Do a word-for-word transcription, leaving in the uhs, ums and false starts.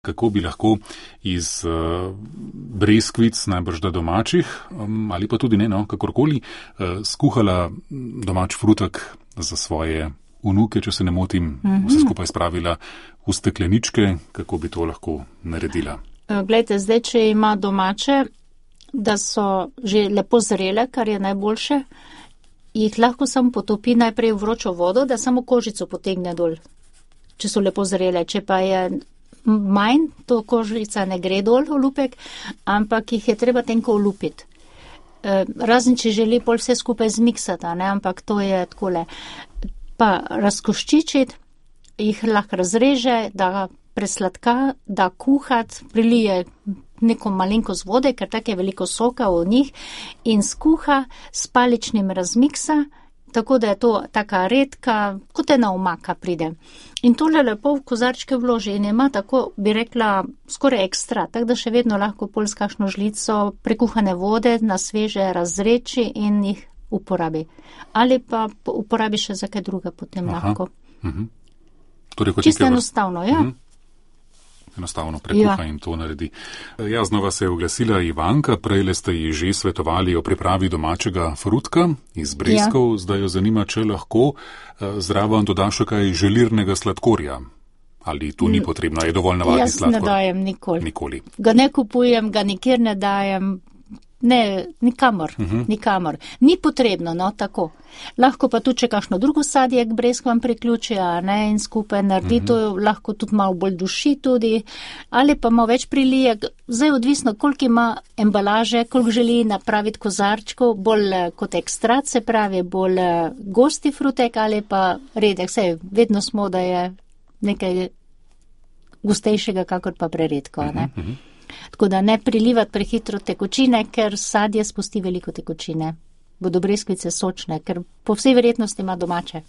Kako bi lahko iz uh, breskvic, najbrž da domačih, um, ali pa tudi ne, no, kakorkoli, uh, skuhala domač frutek za svoje vnuke, če se ne motim, mm-hmm. vse skupaj spravila v stekleničke, kako bi to lahko naredila? Glejte, zdaj, če ima domače, da so že lepo zrele, kar je najboljše, jih lahko samo potopi najprej v vročo vodo, da samo kožico potegne dol, če so lepo zrele. Če pa je manj, to kožica ne gre dol v lupek, ampak jih je treba tenko olupiti. Razen, če želi pol vse skupaj zmiksati, ne, ampak to je takole. Pa razkoščičiti, jih lahko razreže, da presladka, da kuhat, prilije neko malenkost vode, ker tako je veliko soka v njih, in skuha s paličnim razmiksa, tako da je to taka redka, kot ena omaka pride. In tole lepo v kozarčke vloži in ima tako, bi rekla, skoraj ekstra, tako da še vedno lahko pol s kakšno žlico prekuhane vode na sveže razreči in jih uporabi. Ali pa uporabi še za kaj druga potem Aha. lahko. Uh-huh. Torej, čisto enostavno, ja. Uh-huh. Enostavno prekuha ja. in to naredi. Ja, znova se je oglasila Ivanka, prejle ste ji že svetovali o pripravi domačega frutka iz breskov, ja. Zdaj jo zanima, če lahko zraven doda še kaj želirnega sladkorja. Ali tu ni potrebno, je dovolj navadni sladkor? Jaz ne dajem nikoli. nikoli. Ga ne kupujem, ga nikjer ne dajem. Ne, nikamor, uh-huh. nikamor. Ni potrebno, no, tako. Lahko pa tudi, če kakšno drugo sadje k breskvam priključi, a ne, in skupaj naredi uh-huh. to, lahko tudi malo bolj duši tudi, ali pa malo več prilije. Zdaj odvisno, koliko ima embalaže, koliko želi napraviti kozarčkov, bolj kot ekstrat, se pravi, bolj gosti frutek ali pa redek. Sej, vedno smo, da je nekaj gostejšega, kakor pa preredko, a ne. Uh-huh. Tako da ne prilivati prehitro tekočine, ker sadje spusti veliko tekočine. Bodo breskvice sočne, ker po vsej verjetnosti ima domače.